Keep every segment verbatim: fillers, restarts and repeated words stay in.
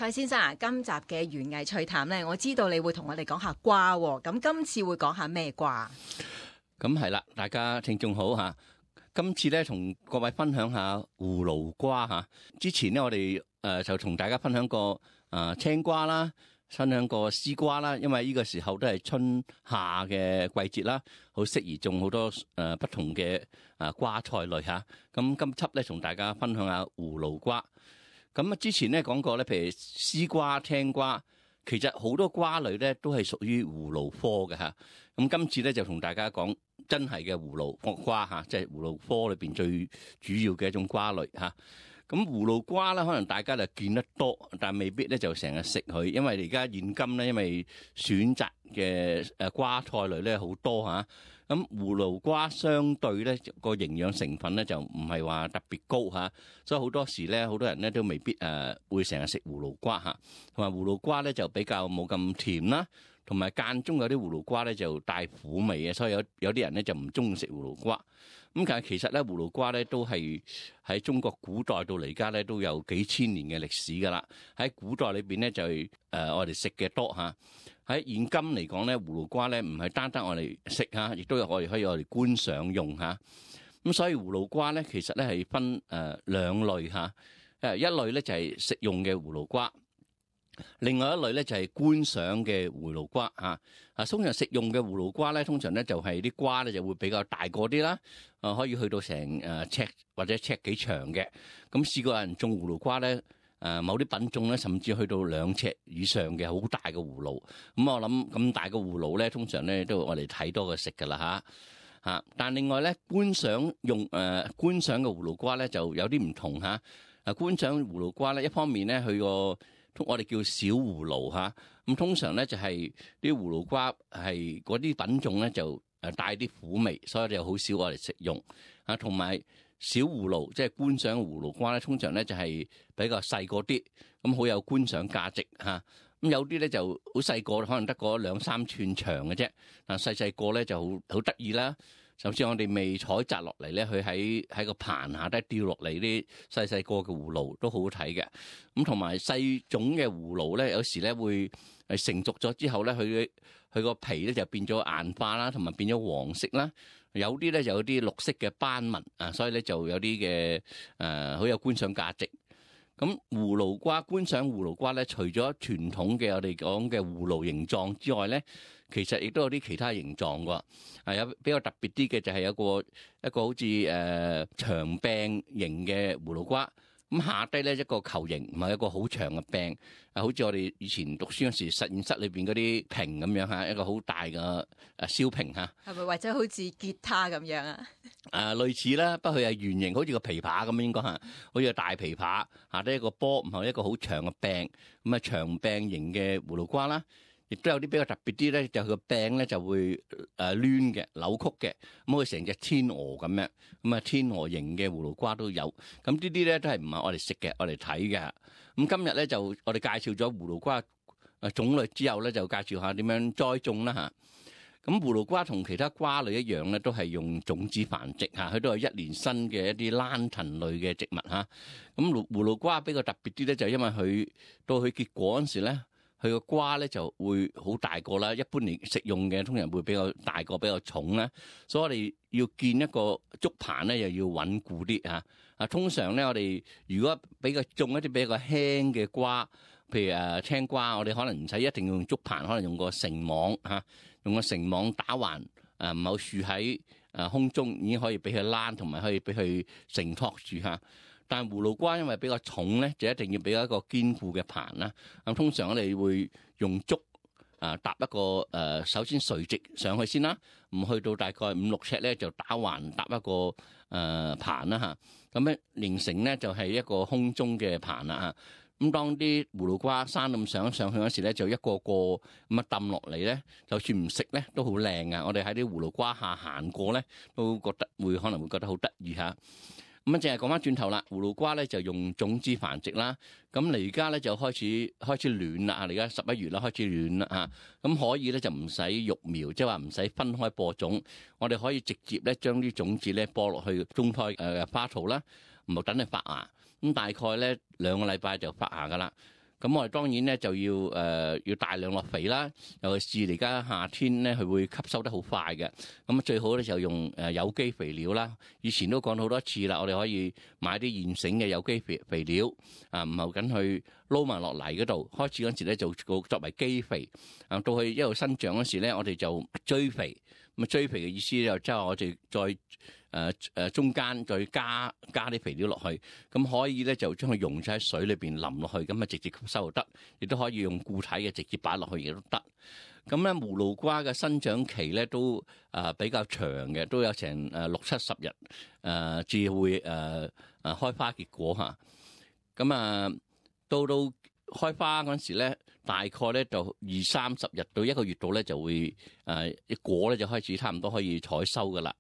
蔡先生啊，今集嘅園藝趣談咧，我知道你會同我哋講下瓜喎，咁今次會講下咩瓜？咁係啦，大家聽眾好吓。今次咧同各位分享下葫蘆瓜吓。之前咧我哋誒、呃、就同大家分享過誒、呃、青瓜啦，分享過絲瓜啦。因為呢個時候都係春夏嘅季節啦，好適宜種好多誒、呃、不同嘅誒瓜菜類吓。咁今輯咧同大家分享下葫蘆瓜。咁啊之前咧講過咧，譬如絲瓜、青瓜，其實好多瓜類咧都係屬於葫蘆科嘅吓。咁今次咧就同大家講真係嘅葫蘆瓜吓，即係葫蘆科裏邊最主要嘅一種瓜類吓。咁葫蘆瓜咧，可能大家就見得多，但未必咧就成日食佢，因為而家現今咧，因為選擇嘅誒瓜菜類咧好多吓。咁葫蘆瓜相對咧個營養成分咧就唔係話特別高吓，所以好多時咧好多人咧都未必誒會成日食葫蘆瓜吓。同埋葫蘆瓜咧就比較冇咁甜啦。同埋間中有啲葫蘆瓜咧就帶苦味嘅，所以有有啲人咧就唔中意食葫蘆瓜。咁但係其實咧葫蘆瓜咧都係喺中國古代到嚟家咧都有幾千年嘅歷史噶啦。喺古代裏邊咧就係誒我哋食嘅多嚇。喺現今嚟講咧，葫蘆瓜咧唔係單單我哋食嚇，亦都有我哋可以我哋觀賞用嚇。咁所以葫蘆瓜咧其實咧係分誒兩類嚇。誒一類咧就係食用嘅葫蘆瓜。另外一類咧就係觀賞嘅葫蘆瓜嚇，啊通常食用嘅葫蘆瓜咧，通常咧就係啲瓜咧就會比較大個啲啦，啊可以去到成誒尺或者尺幾長嘅。咁試過有人種葫蘆瓜咧，誒某啲品種咧甚至去到兩尺以上嘅好大嘅葫蘆。咁我諗咁大個葫蘆咧，通常咧都我哋睇多過食噶啦嚇嚇。但另外咧觀賞用誒觀賞嘅葫蘆瓜咧就有啲唔同嚇。啊觀賞葫蘆瓜咧，一方面咧佢個我哋叫小葫蘆嚇，咁通常咧就係啲葫蘆瓜係嗰啲品種咧就誒帶啲苦味，所以就好少我哋食用啊。同埋小葫蘆即係觀賞葫蘆瓜咧，通常咧就係比較細個啲，咁好有觀賞價值嚇。咁有啲咧就好細個，可能得個兩三寸長嘅啫，但細細個咧就好好得意啦。甚至我哋未採摘落嚟咧，佢喺喺個棚下低掉落嚟啲細細個嘅葫蘆都好好睇嘅。咁同埋細種嘅葫蘆咧，有時咧會係成熟咗之後咧，佢佢個皮咧就變咗硬化啦，同埋變咗黃色啦。有啲咧就有啲綠色嘅斑紋啊，所以咧就有啲嘅誒好有觀賞價值。咁葫蘆瓜觀賞葫蘆瓜咧，除咗傳統嘅我哋講嘅葫蘆形狀之外咧，其實亦都有啲其他形狀㗎。係有比較特別啲嘅就係有個一個好似誒、呃、長柄形嘅葫蘆瓜，咁下低咧一個球形，唔係一個好長嘅柄，啊好似我哋以前讀書嗰時實驗室裏邊嗰啲瓶咁樣嚇，一個好大嘅誒燒瓶嚇。係咪或者好似吉他咁樣啊？誒類似啦，不過佢係圓形，好似個琵琶咁應該嚇，好似個大琵琶，下低一個波，唔係一個好長嘅柄，咁啊長柄形嘅葫蘆瓜啦。亦都有啲比較特別啲咧，就佢個柄咧就會誒攣嘅、扭曲嘅，咁佢成隻天鵝咁樣，咁啊天鵝形嘅葫蘆瓜都有。咁呢啲咧都係唔係我哋食嘅，我哋睇嘅。咁今日咧就我哋介紹咗葫蘆瓜誒種類之後咧，就介紹下點樣栽種啦嚇。咁葫蘆瓜同其他瓜類一樣咧，都係用種子繁殖嚇，佢都係一年生嘅一啲蘭藤類嘅植物嚇。咁葫葫蘆瓜比較特別啲咧，就係因為佢到佢結果嗰時咧。佢個瓜咧就會好大個啦，一般嚟食用嘅通常會比較大個、比較重啦，所以我哋要建一個竹棚咧，又要穩固啲嚇。啊，通常咧我哋如果比較種一啲比較輕嘅瓜，譬如誒青瓜，我哋可能唔使一定要用竹棚，可能用個繩網嚇，用個繩網打橫誒唔好豎喺誒空中，已經可以俾佢躝，同埋可以俾佢承托住嚇。但係葫蘆瓜因為比較重咧，就一定要俾一個堅固嘅棚啦。咁通常我哋會用竹啊搭一個誒、呃，首先垂直上去先啦，唔去到大概五六尺咧就打橫搭一個誒、呃、棚啦嚇。咁咧形成咧就係一個空中嘅棚啦嚇。咁當啲葫蘆瓜生咁上上去嗰時咧，就一個個咁啊抌落嚟咧，就算唔食咧都好靚啊！我哋喺啲葫蘆瓜下行過咧，都覺得會可能會覺得好得意嚇。咁啊，淨係講翻轉頭啦，葫蘆瓜咧就用種子繁殖啦。咁你而家咧就開始開始暖啦，而家十一月啦，開始暖啦嚇。咁可以咧就唔使育苗，即係話唔使分開播種，我哋可以直接咧將啲種子咧播落去中胎誒花槽啦，唔好等佢發芽。咁大概咧兩個禮拜就發芽噶啦。咁我哋當然咧就要誒、呃、要大量落肥啦，尤其是而家夏天咧，佢會吸收得好快嘅。咁最好咧就用誒有機肥料啦。以前都講咗好多次啦，我哋可以買啲現成嘅有機肥肥料啊，唔係緊去撈埋落泥嗰度。開始嗰時咧就作為基肥，啊到佢一路生長嗰時咧，我哋就追肥。咁啊追肥嘅意思就即係我哋再誒誒、呃、中間再加加啲肥料落去，咁可以咧就將佢溶咗喺水裏邊淋落去，咁啊直接吸收就得，亦都可以用固體嘅直接擺落去亦都得。咁咧葫蘆瓜嘅生長期咧都誒、呃、比較長嘅，都有成誒六七十日誒至會誒誒、呃、開花結果嚇。咁啊到到開花嗰陣時咧，大概咧就二三十日到一個月度咧就會誒一果咧就開始差唔多可以採收噶啦。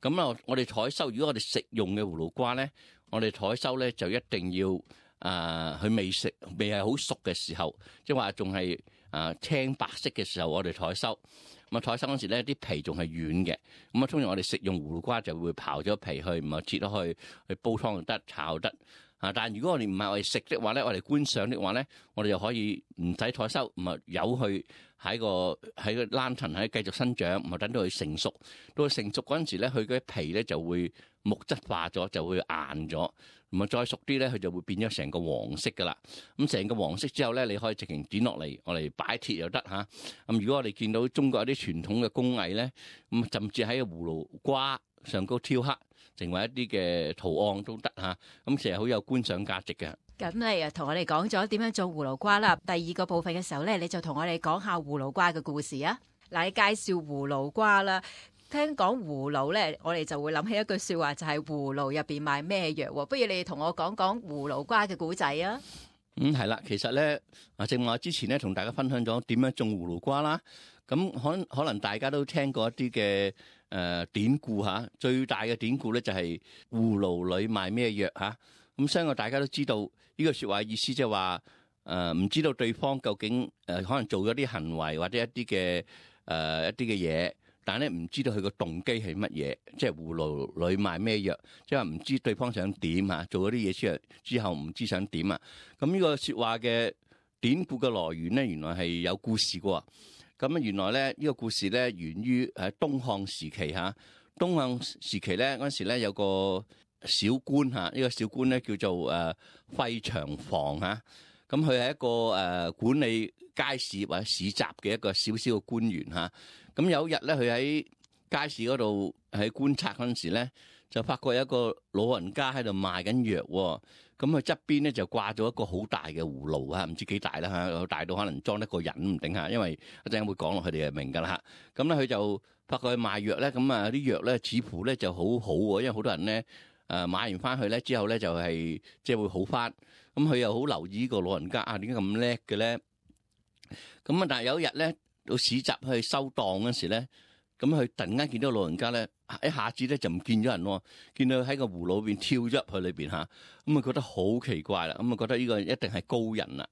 咁啊，我哋採收，如果我哋食用嘅葫蘆瓜咧，我哋採收咧就一定要誒佢、呃、未食未係好熟嘅時候，即係話仲係誒青白色嘅時候，我哋採收。咁啊採收嗰時咧啲皮仲係軟嘅，咁啊通常我哋食用葫蘆瓜就會刨咗皮去，唔係切咗去去煲湯就得，炒得。啊！但係如果我哋唔係我哋食的話咧，我哋觀賞的話咧，我哋就可以唔使採收，唔係由佢喺個喺個欄層喺繼續生長，唔係等到佢成熟。到佢成熟嗰陣時咧，佢嗰啲皮咧就會木質化咗，就會硬咗。唔係再熟啲咧，佢就會變咗成個黃色噶啦。咁成個黃色之後咧，你可以直情剪落嚟，我哋擺鐵又得嚇。咁如果我哋見到中國有啲傳統嘅工藝咧，咁甚至喺個葫蘆瓜上高挑黑，成為一啲嘅圖案都得嚇，咁其實好有觀賞價值嘅。咁你啊同我哋講咗點樣做葫蘆瓜啦，第二個部分嘅時候咧，你就同我哋講下葫蘆瓜嘅故事啊。嗱，你介紹葫蘆瓜啦，聽講葫蘆咧，我哋就會諗起一句説話，就係葫蘆入邊賣咩藥喎？不如你同我講講葫蘆瓜嘅故仔啊。嗯，係啦，其實咧啊，正話之前咧同大家分享咗點樣種葫蘆瓜啦。咁可可能大家都聽過一啲嘅誒典故嚇，最大嘅典故咧就係葫蘆裏賣咩藥嚇。咁相信大家都知道呢個説話意思，即係話誒唔知道對方究竟誒、呃、可能做咗啲行為或者一啲嘅誒一啲嘅嘢，但係咧唔知道佢個動機係乜嘢，即係葫蘆裏賣咩藥，即係話唔知對方想點嚇，做咗啲嘢出嚟之後唔知想點啊。咁呢個説話嘅典故嘅來源咧，原來係有故事嘅喎。咁啊，原來咧呢個故事咧源於喺東漢時期嚇。東漢時期咧嗰陣時咧有個小官嚇，呢個小官咧叫做誒費長房嚇。咁佢係一個誒管理街市或者市集嘅一個小小嘅官員嚇。咁有一日咧，佢喺街市嗰度喺觀察嗰陣時咧，就發覺有一個老人家喺度賣緊藥喎。咁佢側邊咧就掛咗一個好大嘅葫蘆啊，唔知幾大啦嚇，大到可能裝得個人唔定嚇，因為一陣會講落佢哋就明噶啦嚇。咁咧佢就發覺佢賣藥咧，咁啊啲藥咧似乎咧就好好喎，因為好多人咧誒買完翻去咧之後咧就係即係會好翻。咁佢又好留意呢個老人家啊，點解咁叻嘅咧？咁啊，但係有一日咧到市集去收檔嗰時咧，咁佢突然間見到老人家咧，一下子咧就唔見咗人喎，見到喺個葫蘆裏邊跳咗入去裏邊嚇，咁啊覺得好奇怪啦，咁啊覺得呢個一定係高人啦。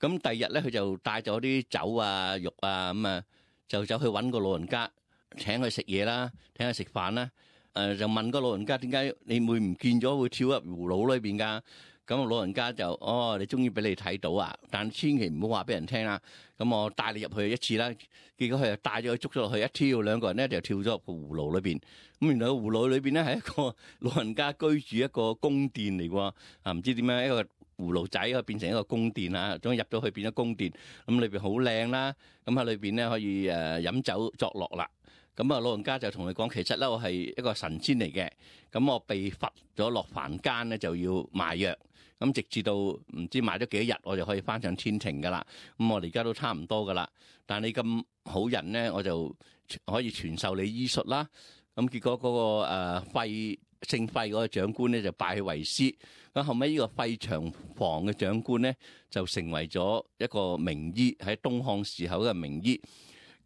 咁第二日咧，佢就帶咗啲酒啊、肉啊，咁啊就走去揾個老人家，請佢食嘢啦，請佢食飯啦。誒就問個老人家點解你會唔見咗，會跳入葫蘆裏邊㗎？咁老人家就哦，你終於俾你睇到啊！但千祈唔好話俾人聽啦。咁我帶你入去一次啦。結果佢就帶咗佢捉咗落去，一跳兩個人咧就跳咗入個葫蘆裏邊。咁原來個葫蘆裏邊咧係一個老人家居住一個宮殿嚟喎。啊，唔知點樣一個葫蘆仔可以變成一個宮殿啊？總之入咗去變咗宮殿。咁裏邊好靚啦。咁喺裏邊咧可以誒飲酒作樂啦。咁啊，老人家就同佢講，其實咧我係一個神仙嚟嘅。咁我被罰咗落凡間咧，就要賣藥。咁直至到唔知賣咗幾多日，我就可以翻上天庭噶啦。咁我哋而家都差唔多噶啦。但係你咁好人咧，我就可以傳授你醫術啦。咁結果嗰、那個誒費姓費嗰個長官咧就拜佢為師。咁後尾呢個費長房嘅長官咧就成為咗一個名醫，喺東漢時候嘅名醫。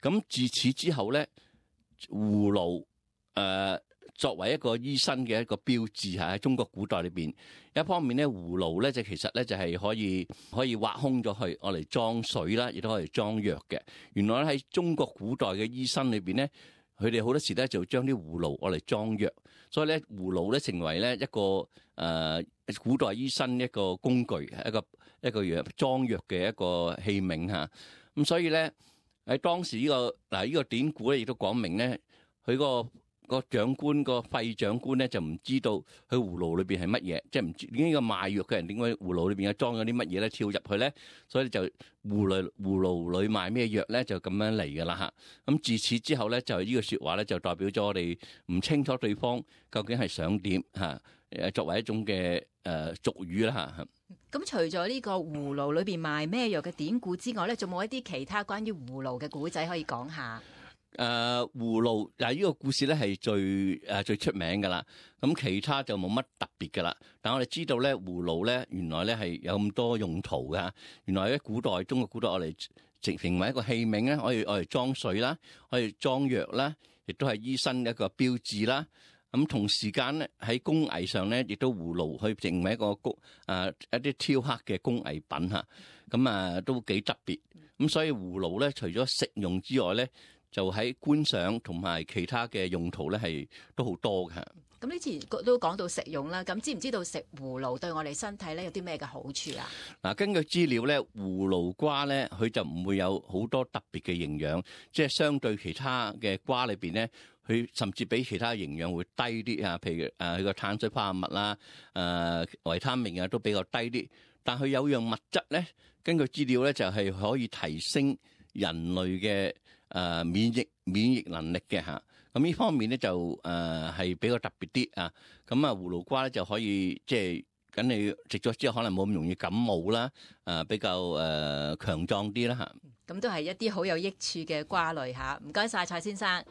咁自此之後咧，葫蘆誒作為一個醫生嘅一個標誌嚇，喺中國古代裏邊，一方面咧葫蘆咧就其實咧就係可以可以挖空咗去，攞嚟裝水啦，亦都可以裝藥嘅。原來咧喺中國古代嘅醫生裏邊咧，佢哋好多時咧就將啲葫蘆攞嚟裝藥，所以咧葫蘆咧成為咧一個誒、呃、古代醫生一個工具，一個一個藥裝藥嘅一個器皿嚇。咁所以咧喺當時呢、這個嗱呢、這個典故咧，亦都講明咧，佢個個長官個廢長官咧就唔知道佢葫蘆裏邊係乜嘢，即係唔知呢個賣藥嘅人點解葫蘆裏邊有裝咗啲乜嘢咧，跳入去咧，所以就葫蘆葫蘆裏賣咩藥咧，就咁樣嚟㗎啦嚇。咁自此之後咧，就呢個説話咧就代表咗我哋唔清楚對方究竟係想點嚇，誒作為一種嘅誒俗語啦嚇。咁除咗呢個葫蘆裏邊賣咩藥嘅典故之外咧，仲冇一啲其他關於葫蘆嘅古仔可以講下？誒、呃、葫蘆嗱，呢個故事咧係最誒、呃、最出名㗎啦。咁其他就冇乜特別㗎啦。但我哋知道咧，葫蘆咧原來咧係有咁多用途㗎。原來喺古代中國古代，我哋成成為一個器皿咧，可以我哋裝水啦，可以裝藥啦，亦都係醫生一個標誌啦。咁同時間咧喺工藝上咧，亦都葫蘆可以成為一個工誒一啲雕刻嘅工藝品嚇。咁啊都幾特別。咁所以葫蘆咧，除咗食用之外咧，就喺觀賞同埋其他嘅用途咧，係都好多嘅。咁呢次都講到食用啦，咁知唔知道食葫蘆對我哋身體咧有啲咩嘅好處啊？嗱，根據資料咧，葫蘆瓜咧，佢就唔會有好多特別嘅營養，即係相對其他嘅瓜裏邊咧，佢甚至比其他營養會低啲啊。譬如誒佢個碳水化合物啦、誒、呃、維他命啊都比較低啲，但佢有樣物質咧，根據資料咧就係可以提升人類嘅誒、呃、免疫免疫能力嘅嚇。咁呢方面咧就誒係、呃、比較特別啲啊。咁啊葫蘆瓜咧就可以即係咁你食咗之後可能冇咁容易感冒啦，誒、呃、比較誒、呃、強壯啲啦嚇。咁都係一啲好有益處嘅瓜類嚇。唔該晒蔡先生。